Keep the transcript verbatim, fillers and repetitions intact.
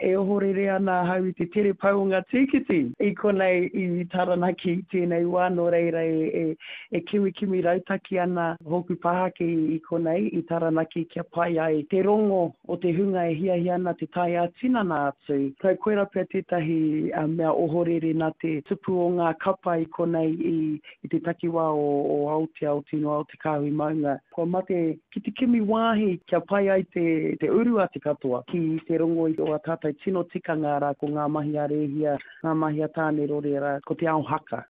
E ohorere ana ahau i te tere pau o ngā tīkiti i konei i Taranaki i tēnei wā, nō reira e, e, e kimikimi rautaki ana hōku pāhake i konei i Taranaki kia pai ai te rongo o te hunga e hiahia ana te tae ā-tinana atu. Kau koira pea tētahi mea ohorere nā te tupu o ngā kapa i konei i, i te takiwā o, o Aotea, o Tino Te Kāhui Maunga. Kua mate ki te kimi wāhi kia pai ai te, te uru a te katoa ki te rongo i o a tātou tino tikanga rā ko ngā mahi a Rēhia, ngā mahi a Tānerore rā, ko te ao haka.